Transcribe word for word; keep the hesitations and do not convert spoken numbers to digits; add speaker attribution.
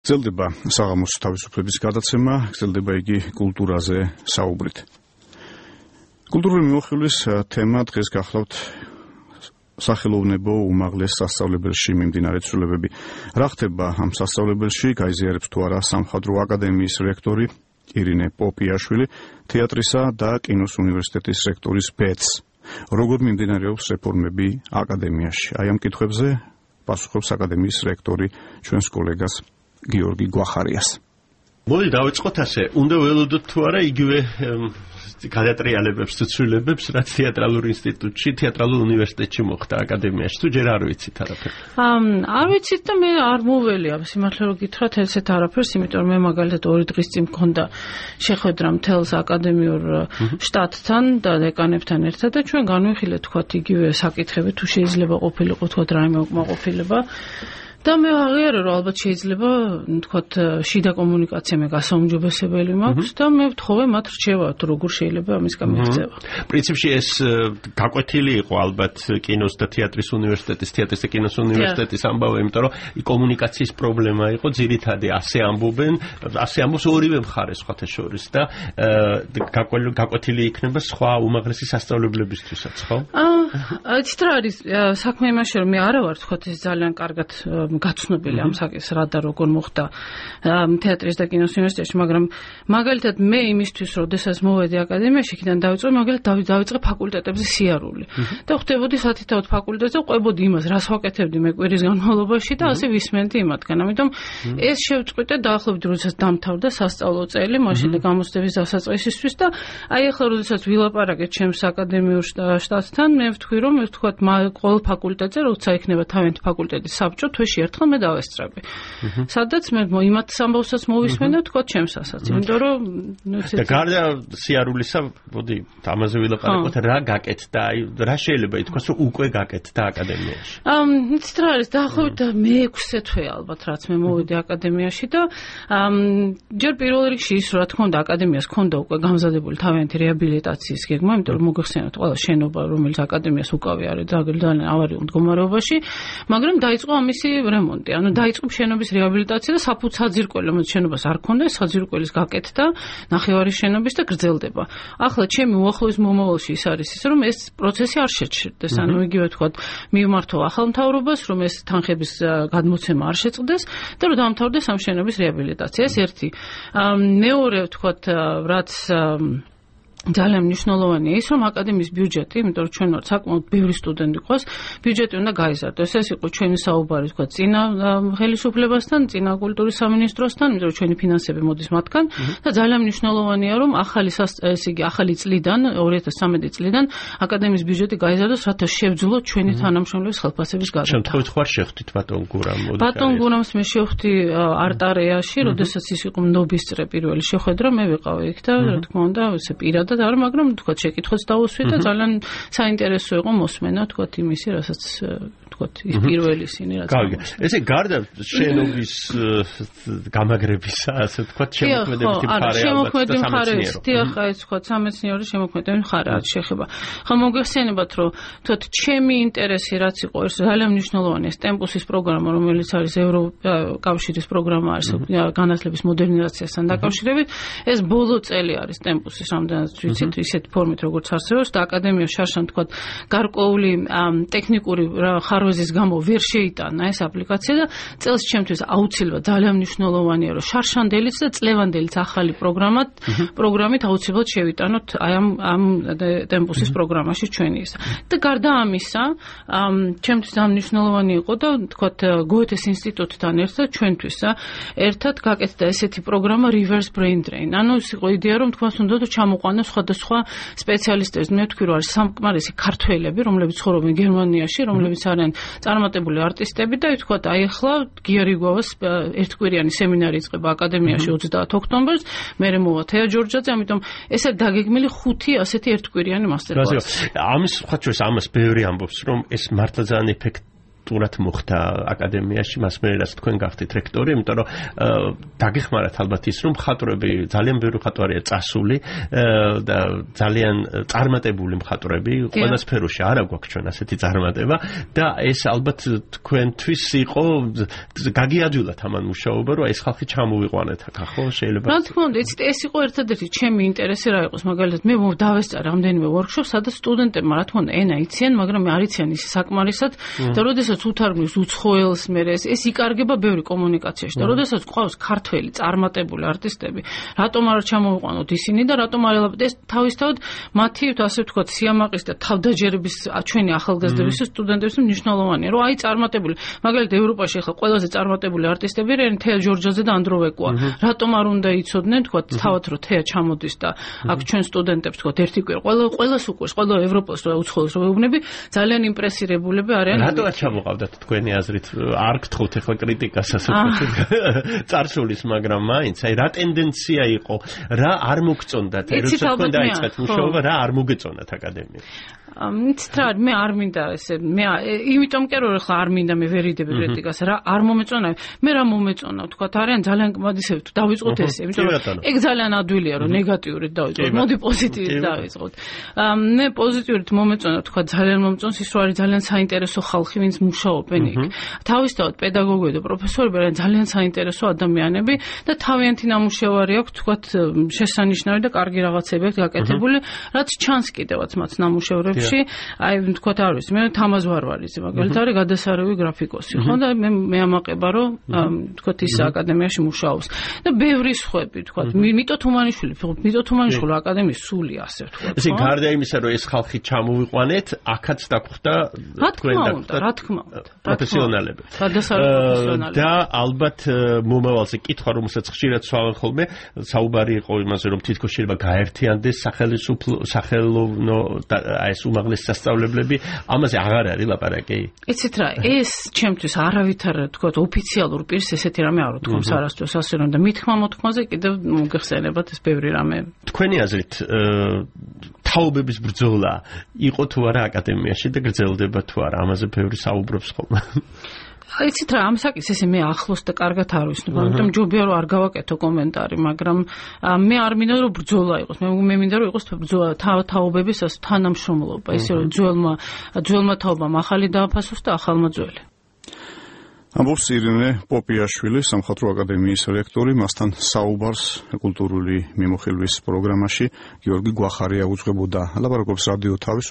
Speaker 1: გრძელდება საღამოს თავისუფლების გადაცემა, გრძელდება იგი კულტურაზე საუბრით. კულტურული მიმოხილვის თემა დღეს გახლავთ სახელოვნებო უმაღლეს სასწავლებელში მიმდინარე ცვლილებები. რა ხდება ამ სასწავლებელში, გაიზიარებს თუ არა სამხატვრო აკადემიის რექტორი ირინე პოპიაშვილი, თეატრისა და კინოს უნივერსიტეტის რექტორის ბეც. როგორ მიმდინარეობს რეფორმები აკადემიაში? აი ამ კითხვებზე პასუხობს აკადემიის რექტორი ჩვენს კოლეგას გიორგი გვახარიას.
Speaker 2: მოდი დავიწყოთ ასე, უნდა ველოდოთ თუ არა იგივე გადატრიალებებს თუ ცვლილებებს, რაც თეატრალურ ინსტიტუტში, თეატრალურ უნივერსიტეტში მოხდა აკადემიაში, თუ ჯერ არ ვიცით არაფერს?
Speaker 3: არ ვიცით და მე არ მოველი ამ სიმართლე რომ გითხრათ ესეთ არაფერს, იმიტომ რომ მე მაგალითად ორი დღის წინ მქონდა შეხვედრა მთელს აკადემიურ შტატთან და დეკანებთან ერთად და ჩვენ განვიხილეთ თქვათ იგივე საკითხები, თუ შეიძლება ყოფილიყო თქვათ რაიმე უკმაყოფილება. და მე აღიარე რომ ალბათ შეიძლება თქვათ შიდა კომუნიკაცია მე გასაუმჯობესებელი მაქვს და მე ვთხოვე მათ რჩევა თუ როგორ შეიძლება ამის გამიღწევა.
Speaker 2: პრინციპში ეს გაკვეთილი იყო ალბათ კინოს და თეატრის უნივერსიტეტის, თეატრის და კინოს უნივერსიტეტის ამბავი, იმიტომ რომ კომუნიკაციის პრობლემა იყო ძირითადი, ასე ამბობენ, ასე ამბობს ორივე მხარე სხვათა შორის და გაკვეთილი იქნება სხვა უმაღლესი სასწავლებლებისთვისაც, ხო?
Speaker 3: აა, იცით რა არის საქმე იმაში რომ მე არა ვარ თქვათ ეს ძალიან კარგად გაცნობილი ამ საკითხს რა და როგორ მოხდა თეატრის და კინოს უნივერსიტეტში, მაგრამ მაგალითად მე იმისთვის როდესაც მოვედი აკადემიაში, იქიდან დავიწყე მაგალითად დავიწყე ფაკულტეტებზე სიარული და ხვდებოდი სათითაოდ ფაკულტეტზე, ყვებოდი იმას, რას ვაკეთებდი მე კვირის განმავლობაში და ასე ვისმენდი იმათგან. ამიტომ ეს შევწყვიტე დაახლოებით როდესაც დამთავრდა სასწავლო წელი, მაშინ და გამოცდების დასაწყისისთვის და აი ახლა როდესაც ვილაპარაკეთ ჩემს აკადემიურ შტატთან, მე ვთქვი რომ მე ვთქვათ ყოველ ფაკულტეტზე როცა იქნება თავიანთი ფაკულტეტის საბჭო, თვეში ერთხელ მე დავესწრები. სადაც მე იმათ სამბავსაც მოვისმენ და თქვა ჩემსასაც, იმიტომ რომ
Speaker 2: და გარდა სიარულისა, მოდი ამაზე ვილაპარაკოთ, რა გაკეთდა, აი რა შეიძლება ითქვას, რომ უკვე გაკეთდა აკადემიაში?
Speaker 3: ამ იცით რა არის, დაახლოებით მეექვსე თვე ალბათ რაც მე მოვედი აკადემიაში და ჯერ პირველ რიგში ის რა თქმა უნდა აკადემიას ჰქონდა უკვე გამზადებული თავიანთი რეაბილიტაციის გეგმა, იმიტომ რომ მოგეხსენოთ ყველა შენობა რომელიც აკადემიას უკავი არის ძალიან ავარიულ მდგომარეობაში, მაგრამ დაიწყო ამისი რემონტი, ანუ დაიწყო შენობის რეაბილიტაცია და საფუძ საძირკველი, რომელიც შენობას არ ქონდა, საძირკველის გაკეთდა, ნახევარი შენობის და გრძელდება. ახლა ჩემი უახლოეს მომავალში ის არის ის, რომ ეს პროცესი არ შეჩერდეს, ანუ იგივე თქვათ, მივმართო ახალ მთავრობას, რომ ეს თანხების გადმოცემა არ შეწყდეს და რომ დამთავრდეს ამ შენობის რეაბილიტაცია. ეს ერთი. მეორე თქვათ, რაც ძალიან მნიშვნელოვანია ის, რომ აკადემიის ბიუჯეტი, იმიტომ რომ ჩვენ ვართ საკმაოდ ბევრი სტუდენტი ყავს, ბიუჯეტი უნდა გაიზარდოს. ეს იყო ჩვენი საუბარი, თქვა, წინა ხელისუფლებასთან, წინა კულტურის სამინისტროსთან, იმიტომ რომ ჩვენი ფინანსები მოდის მათგან და ძალიან მნიშვნელოვანია, რომ ახალი ეს იგი ახალი წლიდან, ორი ათას სამეტი წლიდან აკადემიის ბიუჯეტი გაიზარდოს, რათა შევძლებოთ ჩვენი თანამშრომლების ხელფასების გადახდა.
Speaker 2: შემთხვევით ხარ შევხვდით ბატონ გურამ?
Speaker 3: ბატონ გურამს მე შევხვდი არტარეაში, როდესაც ის იყო ნობისწრე პირველი შეხვედრა, მე ვიყავი იქ და რა თქმა უნდა, ესე პირად და არ, მაგრამ თქვა შეკითხვაც დავუსვით და ძალიან საინტერესო იყო მოსმენა თქვა იმისი, რასაც თქვა ის პირველი სინი რაც.
Speaker 2: კარგი. ესე გარდა შენობის გამაგრებისა, ასე თქვა შემოქმედებითი მხარე ალბათ.
Speaker 3: შემოქმედებითი მხარე, დიახ, აი თქვა სამეცნიერო შემოქმედებითი მხარე რაც შეხება. ხა მოგეხსენებათ, რომ თქვა ჩემი ინტერესი რაც იყო, ეს ძალიან მნიშვნელოვანია ტემპუსის პროგრამა, რომელიც არის ევროკავშირის პროგრამა არის განათლების მოდერნიზაციასთან დაკავშირებით. ეს ბოლო წელი არის ტემპუსის რამდენად ვიცით ისეთ ფორმით როგორც არსებობს და აკადემია შარშან თქვა გარკვეული ტექნიკური ხარვეზის გამო ვერ შეიტანა ეს აპლიკაცია და წელს ჩემთვის აუცილებლად ძალიან მნიშვნელოვანია რომ შარშანდელიც და წლევანდელიც ახალი პროგრამად პროგრამით აუცილებლად შევიტანოთ აი ამ ამ ტემპუსის პროგრამაში ჩვენი ის და გარდა ამისა ჩემთვის ძალიან მნიშვნელოვანი იყო და თქვა გოეთეს ინსტიტუტთან ერთად ჩვენთვის ერთად გაკეთდა ესეთი პროგრამა reverse brain drain. ანუ ის იყო იდეა რომ თქვას უნდა ჩამოყვანოს სხვადასხვა სპეციალისტებს. მე ვთქვი რომ არის სამყარისი ქართველები, რომლებიც ცხოვრობენ გერმანიაში, რომლებიც არიან წარმატებული არტისტები და ვთქვათ, აი ახლა გიარიგოვას ერთკვირიანი სემინარი იწყება აკადემიაში ოცდაათი ოქტომბერს, მერე მოვა თეა ჯორჯაძე, ამიტომ ესე დაგეგმილი ხუთი ასეთი ერთკვირიანი მასტერკლასი.
Speaker 2: ამის ხაჩოს ამას ბევრი ამბობს, რომ ეს მართლა ძალიან ეფექტ სტურად მოხდა აკადემიაში, მას მე რაც თქვენ გახდით რექტორი, იმიტომ რომ დაგეხმარათ ალბათ ის, რომ მხატვრები, ძალიან ბევრი მხატვარია წასული და ძალიან წარმატებული მხატვრები, ყველა სფეროში არა გვაქვს ჩვენ ასეთი წარმატება და ეს ალბათ თქვენთვის იყო გაგიაჯულათ ამან მუშაობა, რომ ეს ხალხი ჩამოვიყვანეთ აქ, ხო, შეიძლება.
Speaker 3: რა თქმა უნდა, იცით, ეს იყო ერთადერთი ჩემი ინტერესი რა იყოს, მაგალითად, მე დავესწარ რამდენიმე workshop-ს, სადაც სტუდენტებმა რა თქმა უნდა ენა იციან, მაგრამ არ იციან ის საკმარისად და როდესაც უთარგმნის უცხოელს მე ეს იკარგება ბევრი კომუნიკაციაში და როდესაც ყავს ქართველი წარმატებული არტისტები, რატომ არ ჩამოვიყვანოთ ისინი და რატომ არ ეს თავისთავად მათი ასე ვთქვათ სიამაყის და თავდაჯერების ჩვენი ახალგაზრდების სტუდენტების მნიშვნელოვანია, რომ აი წარმატებული, მაგალითად ევროპაში ახლა ყველაზე წარმატებული არტისტები რენ თეა ჯორჯაძე და ანდროვეკოა. რატომ არ უნდა იცოდნენ, თქვათ, თავად რომ თეა ჩამოდის და აქ ჩვენ სტუდენტებს თქვათ ერთი კვირა, ყველა ყველას უყურს, ყველა ევროპას რა უცხოელს რო ვეუბნები, ძალიან იმპრესირებულები არიან.
Speaker 2: რატო არ ჩამოყავდათ თქვენი აზრით? არ გთხოვთ ახლა კრიტიკას ასე ვთქვათ. წარსულის, მაგრამ მაინც აი რა ტენდენცია იყო, რა არ მოგწონდათ, როცა თქვენ დაიწყეთ მუშაობა, რა არ მოგეწონათ აკადემია?
Speaker 3: იცით რა, მე არ მინდა ესე, მე იმიტომ კი რომ ახლა არ მინდა მე ვერ იდები კრიტიკას, რა არ მომეწონა, მე რა მომეწონა, თქვათ, არიან ძალიან კმადისები თუ დავიწყოთ ესე, იმიტომ რომ ეგ ძალიან ადვილია რომ ნეგატიურით დავიწყოთ, მოდი პოზიტიურით დავიწყოთ. მე პოზიტიურით მომეწონა, თქვათ, ძალიან მომწონს ის რომ არის ძალიან საინტერესო ხალხი, ვინც მუშაობენ იქ. თავისთავად პედაგოგები და პროფესორები არიან ძალიან საინტერესო ადამიანები და თავიანთი ნამუშევარი აქვს, თქვათ, შესანიშნავი და კარგი რაღაცები აქვს გაკეთებული, რაც ჩანს კიდევაც მათ ნამუშევრებში. აი ვთქვათ არ ვიცი, მე თამაზ ვარვარიძე მაგალითად არის გადასარევი გრაფიკოსი, ხო და მე მე ამაყება რომ ვთქვათ ის აკადემიაში მუშაობს და ბევრი სხვები ვთქვათ, მიტო თუმანიშვილი, მიტო თუმანიშვილი აკადემიის სულია ასე ვთქვათ.
Speaker 2: ესე გარდა იმისა რომ ეს ხალხი ჩამოვიყვანეთ, აქაც დაგხვდა
Speaker 3: თქვენ და რა თქმა უნდა,
Speaker 2: პროფესიონალები.
Speaker 3: გადასარევი პროფესიონალები.
Speaker 2: და ალბათ მომავალზე კითხვა რომელსაც ხშირად სვავენ ხოლმე, საუბარი იყო იმაზე რომ თითქოს შეიძლება გაერთიანდეს სახელმწიფო სახელოვნო აი ეს უმაღლეს სასწავლებლები, ამაზე აღარ არის ლაპარაკი.
Speaker 3: იცით რა, ეს ჩემთვის არავითარ თქვათ ოფიციალურ პირს ესეთი რამე არ ვთქვამს არასდროს ასე რომ და მithქმა მოთქმაზე კიდევ მოგეხსენებათ ეს ბევრი რამე.
Speaker 2: თქვენი აზრით თაობების ბრძოლა იყო თუ არა აკადემიაში და გრძელდება თუ არა, ამაზე ბევრი საუბრობს ხოლმე.
Speaker 3: იცით რა, ამ საკითხს ესე მე ახლოს და კარგად არ ვიცნობ, ამიტომ ჯობია რომ არ გავაკეთო კომენტარი, მაგრამ მე არ მინდა რომ ბრძოლა იყოს, მე მე მინდა რომ იყოს ბრძოლა თაობების თანამშრომლობა, ისე რომ ძველმა ძველმა თაობამ ახალი დააფასოს და ახალმა ძველი.
Speaker 1: ამბობს ირინე პოპიაშვილი, სამხატვრო აკადემიის რექტორი, მასთან საუბარს კულტურული მიმოხილვის პროგრამაში გიორგი გვახარია უძღვებოდა. ლაპარაკობს რადიო თავის